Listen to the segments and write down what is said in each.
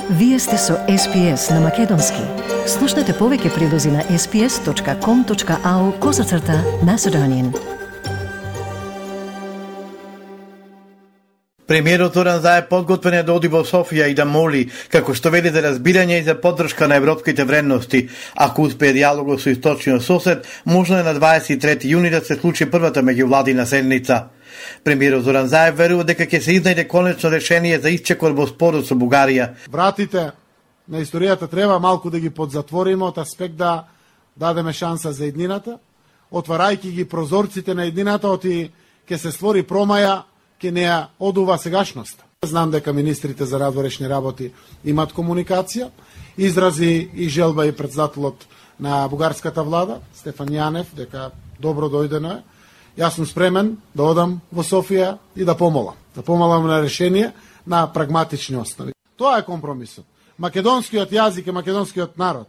Вие сте со SPS на Македонски. Слушнете повеќе прилози на sps.com.au/Macedonian. Премиерот Зоран Заев подготвен е да оди во Софија и да моли, како што вели, за разбирање и за поддршка на европските вредности. Ако успее диалогот со источниот сосед, можно е на 23 јуни да се случи првата меѓувладина седница. Премиерот Зоран Заев верува дека ќе се изнајде конечно решение за исчекор во спорот со Бугарија. Вратите на историјата треба малку да ги подзатвориме од аспект да дадеме шанса за еднината, отварајќи ги прозорците на еднината, оти ќе се створи промаја, ќе неа одува сегашноста. Знам дека министрите за надворешни работи имат комуникација, изрази и желба и председателот на бугарската влада, Стефан Јанев, дека добро дојдено е. Јас сум спремен да одам во Софија и да помалам на решение на прагматични основи. Тоа е компромисот. Македонскиот јазик и македонскиот народ.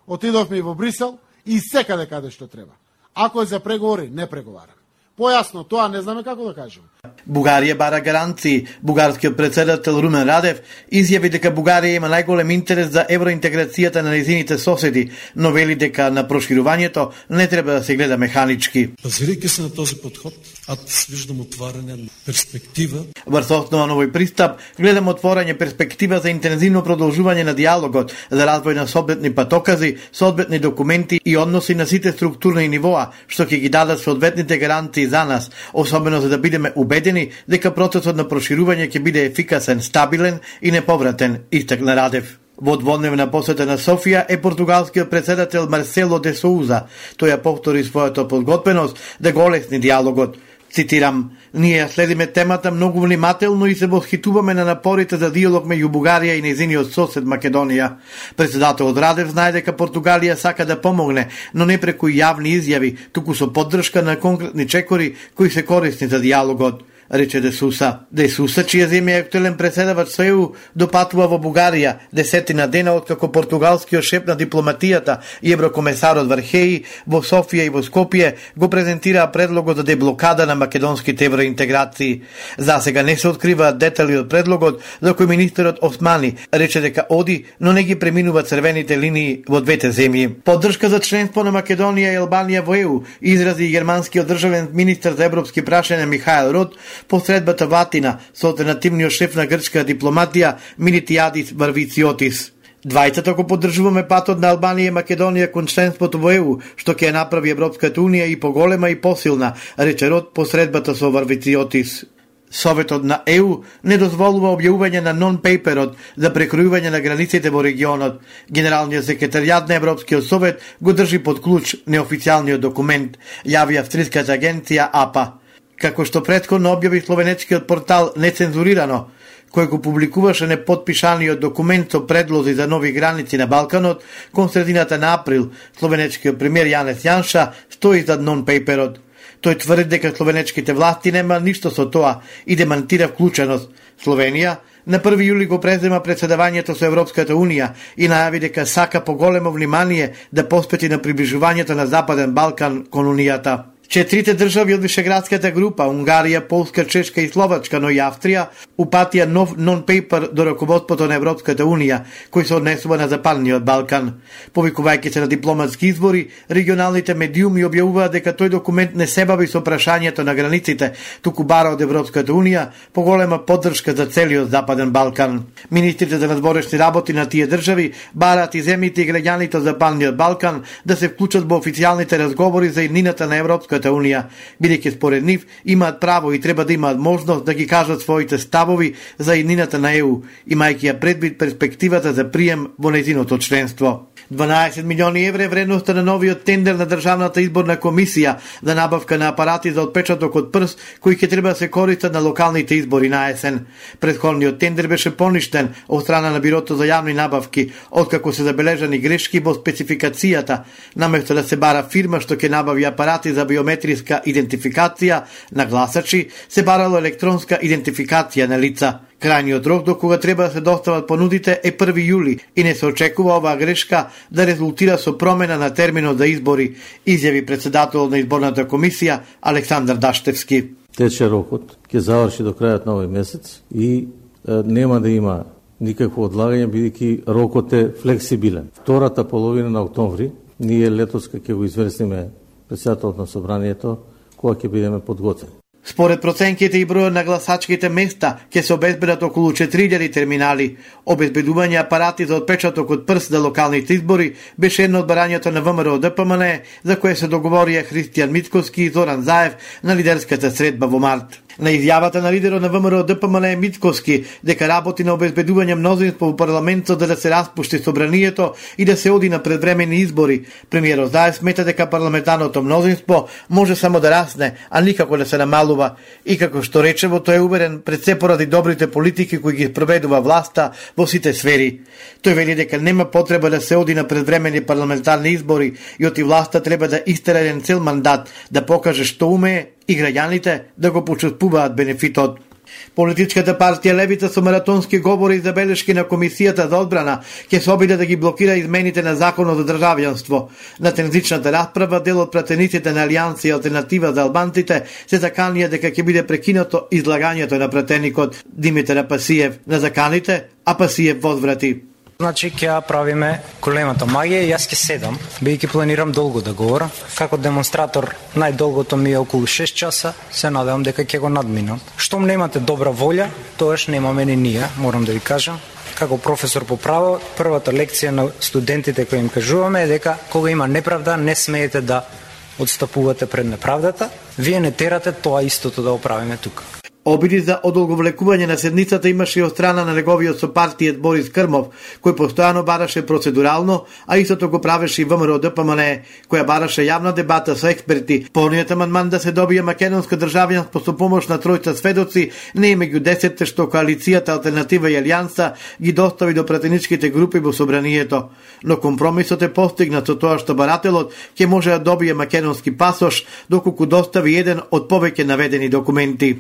Отидовме и во Брисел и секаде каде што треба. Ако е за преговори, не преговараме. Појасно, тоа не знаме како да кажеме. Бугарија бара гаранции. Бугарскиот председател Румен Радев изјави дека Бугарија има најголем интерес за евроинтеграцијата на нејзините соседи, но вели дека на проширувањето не треба да се гледа механички. Базирајќи се на този подход, аз виждам отварање на перспектива. Врз основа на овој пристап, гледам отворање перспектива за интензивно продолжување на диалогот, за развој на соодветни патокази, соодветни документи и односи на сите структурни нивоа, што ќе ги дадат соодветните гаранции за нас, особено за да бидеме убедени дека процесот на проширување ќе биде ефикасен, стабилен и неповратен, истакна Радев. Во дводневна посета на Софија е португалскиот председател Марсело де Соуза. Тој ја повтори својата подготвеност да го олесни диалогот. Цитирам: "Ние следиме темата многу внимателно и се восхитуваме на напорите за диалог меѓу Бугарија и нејзиниот сосед Македонија." Председателот Радев знае дека Португалија сака да помогне, но не преку јавни изјави, туку со поддршка на конкретни чекори кои се корисни за диалогот, рече Де Суса. Де Суса, чија земја е актуелен преседавач со ЕУ, допатува во Бугарија 10 дена откако португалскиот шеф на дипломатијата и еврокомесарот Вархеи во Софија и во Скопје го презентираа предлогот за деблокада на македонските евроинтеграции. За сега не се откриваат детали од предлогот, за кој министерот Османи рече дека оди, но не ги преминува црвените линии во двете земји. Поддршка за членство на Македонија и Албанија во ЕУ изрази германскиот државен министер за европски прашања Михаел Рот посредбата Ватина со алтернативниот шеф на грчка дипломатија Милитиадис Варвициотис. Двајцата го поддржуваме патот на Албанија и Македонија кон членството во ЕУ, што ќе направи Европската унија и поголема и посилна, рече Рот посредбата со Варвициотис. Советот на ЕУ не дозволува објавување на нон-пейперот за прекројување на границите во регионот. Генералниот секретаријат на Европскиот совет го држи под клуч неофицијалниот документ, јави австриската агенција АПА. Како што претходно објави словенечкиот портал Нецензурирано, кој го публикуваше непотпишаниот документ со предлози за нови граници на Балканот, кон средината на април, словенечкиот премиер Јанес Јанша стои зад нон-пейперот. Тој тврди дека словенечките власти нема ништо со тоа и демантира вклученост. Словенија на 1 јули го презема председавањето со Европската унија и најави дека сака поголемо внимание да посвети на приближувањето на Западен Балкан кон унијата. Четирите држави од Вишеградската група, Унгарија, Полска, Чешка и Словачка, но и Австрија, упатија нов нон-пейпер до раководството на Европската унија, кој се однесува на Западниот Балкан. Повикувајќи се на дипломатски избори, регионалните медиуми објавуваат дека тој документ не се бави со прашањето на границите, туку бара од Европската унија поголема поддршка за целиот Западен Балкан. Министрите за надворешни работи на тие држави бараат и земјите и граѓаните од Западниот Балкан да се вклучат во официјалните разговори за иднината на Европската унија, бидејќи според нив имаат право и треба да имаат можност да ги кажат своите ставови за иднината на ЕУ, имајќи ја предвид перспективата за прием во нејзиното членство. 12 милиони евра е вредноста на новиот тендер на Државната изборна комисија за набавка на апарати за отпечаток од прст, кои ќе треба да се користат на локалните избори на есен. Претходниот тендер беше поништен од страна на Бирото за јавни набавки, откако се забележани грешки во спецификацијата, наместо да се бара фирма што ќе набави апарати за биометриска идентификација на гласачи, се барало електронска идентификација на лица. Крајниот рок до кога треба да се достават понудите е 1 јули и не се очекува оваа грешка да резултира со промена на терминот за избори, изјави председателот на изборната комисија Александар Даштевски. Тече рокот, ќе заврши до крајот на овој месец и нема да има никакво одлагање, бидејќи рокот е флексибилен. Втората половина на октомври, ние летос ќе го известиме председателот на собранието, кога ќе бидеме подготвени. Според проценките и бројот на гласачките места ќе се обезбедат околу 4000 терминали. Обезбедување апарати за отпечаток од прст за локалните избори беше едно од барањето на ВМРО ДПМН, за кое се договорија Христијан Мицковски и Зоран Заев на лидерската средба во март. На изјавата на лидерот на ВМРО ДПМН Мицковски дека работи на обезбедување мнозинство во парламентот за да се распушти собранието и да се оди на предвремени избори, премиерот Заев смета дека парламентарното мнозинство може само да расне, а никако да се намалува. И како што речево, тој е уверен пред се поради добрите политики кои ги проведува власта во сите сфери. Тој вели дека нема потреба да се оди на предвремени парламентарни избори и оти власта треба да истера еден цел мандат, да покаже што умее и граѓаните да го почувствуваат бенефитот. Политичката партија Левица со маратонски говори и забелешки на Комисијата за одбрана ќе се обиде да ги блокира измените на Законот за државјанство. На тензичната расправа дел од пратениците на Алијанса и Алтернатива за албанците се заканија дека ќе биде прекинато излагањето на пратеникот Димитар Апасиев на заканите, а Апасиев возврати. Значи, ќе правиме големата магија и јас ќе седам, бидејќи планирам долго да говорам. Како демонстратор, најдолгото ми е околу 6 часа, се надевам дека ќе го надминам. Штом немате добра волја, тоаш немаме ни ние, морам да ви кажам. Како професор по право, првата лекција на студентите кои им кажуваме е дека кога има неправда, не смеете да отстапувате пред неправдата. Вие не терате тоа истото да оправиме тука. Обиди за одолговлекување на седницата имаше и од страна на неговиот сопартиец Борис Крмов, кој постојано бараше процедурално, а истото го правеше и ВМРО ДПМН, која бараше јавна дебата со експерти. Полниот амандман да се добие македонско државјанство со помош на тројца сведоци не е меѓу 10 што коалицијата Алтернатива и Алијанса ги достави до пратеничките групи во собранието. Но компромисот е постигнат со тоа што барателот ќе може да добие македонски пасош доколку достави еден од повеќе наведени документи.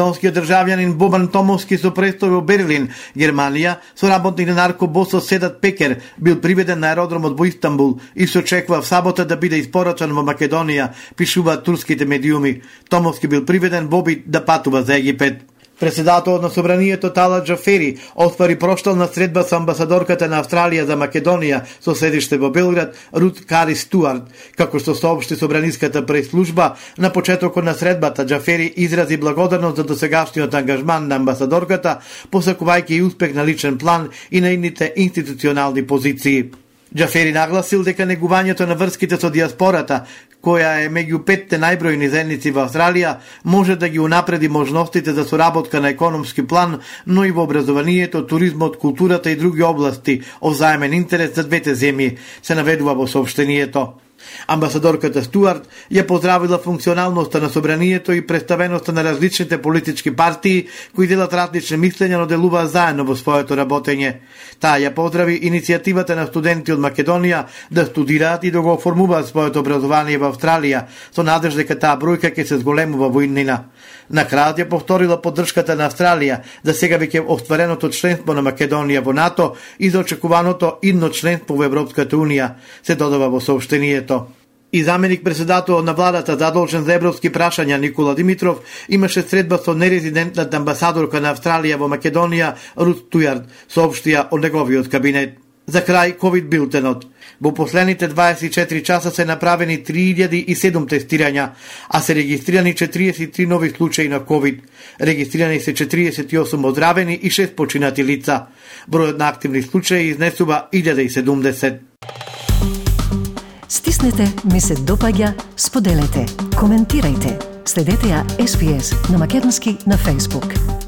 Македонскиот државјанин Бобан Томовски со престој во Берлин, Германија, со работник на наркобосот Седат Пекер, бил приведен на аеродромот во Истанбул и се очекува в сабота да биде испорачан во Македонија, пишуваат турските медиуми. Томовски бил приведен во обид да патува за Египет. Председателот на собранието Талат Джафери оствари проштална средба со амбасадорката на Австралија за Македонија со седиште во Белград Рут Кари Стуарт. Како што соопшти собраниската преслужба, на почетокот на средбата Джафери изрази благодарност за досегашниот ангажман на амбасадорката, посакувајќи и успех на личен план и на нивните институционални позиции. Джафери нагласил дека негувањето на врските со диаспората, која е меѓу 5 најбројни заедници во Австралија, може да ги унапреди можностите за соработка на економски план, но и во образованието, туризмот, културата и други области од заемен интерес за двете земји, се наведува во соопштението. Амбасадорката Стуарт ја поздравила функционалноста на собранието и представеноста на различните политички партии кои делат различни мислења, но делуваат заедно во своето работење. Таа ја поздрави иницијативата на студенти од Македонија да студираат и да го оформуваат своето образование во Австралија, со надеж дека таа бројка ќе се зголемува во иднина. На крајот ја повторила поддршката на Австралија за сега веќе оствареното членство на Македонија во НАТО и за очекуваното идно членство во Европската Унија, се додава во соопштението. И заменик председателот на владата задолжен за европски прашања Никола Димитров имаше средба со нерезидентната амбасадорка на Австралија во Македонија Рут Тујард, соопштија од неговиот кабинет. За крај ковид билтенот. Во последните 24 часа се направени 3007 тестирања, а се регистрирани 43 нови случаи на ковид. Регистрирани се 48 оздравени и 6 починати лица. Бројот на активни случаи изнесува 1070. Стиснете, ми се допаѓа, споделете, коментирајте. Следете ја SPS на Македонски на Facebook.